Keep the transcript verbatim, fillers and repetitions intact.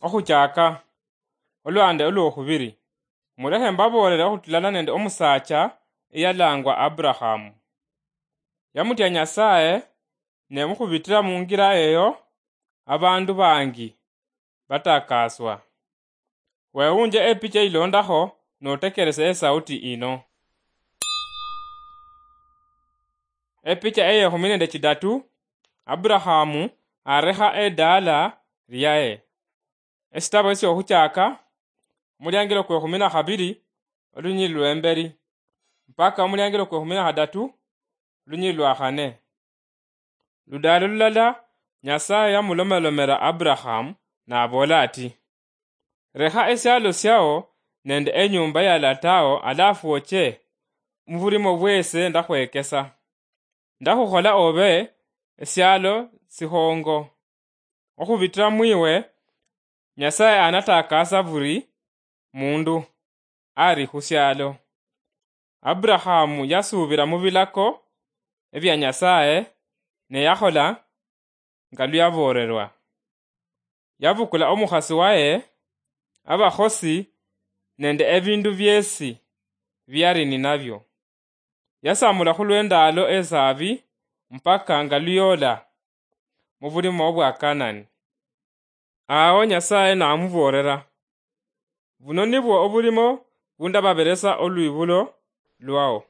Okhuchaka, olwande olwokhubiri, mulekhe mbaboolele okhutulana nende omusaacha eyalangwa Aburahamu. Yamutya Nyasaye, ne mukhubitira mungira eyo, abandu bangi batakaswa. Wewunje epicha eyilondakho notekerese esauti ino. Epicha eyekhumi nende chidatu, Aburahamu arekha edaala lyaye. Esitabo esyokhuchaka, omuliangilo kwekhumi na khabili, olunyili lwembeli, mpaka omuliangilo kwekhumi na khadatu, olunyili lwa khane. Ludaalo lulala, Nyasaye yamulomalomela Aburahamu, naboola ati, "Lekha esialo syao nende enyumba ya latao, alafu oche mubulimo bwese ndakhwekesa. Ndakhukhola obe esialo sikhongo. Okhubitira mwiwe, Nyasaye anatakasa buli mundu ari khusialo." Aburahamu yasuubira mubilako ebia Nyasaye, ne yakhola nga luyaboolelwa. Yabukula omukhasi waye, abakhosi nende ebindu biesi biari ninabio. Yasamula khulwendalo esabi mpaka nga luyola mubulimo bwa Kanani. Awo Nyasaye namuboolera, "Buno nibwo obulimo bundababeresa olwibulo lwao."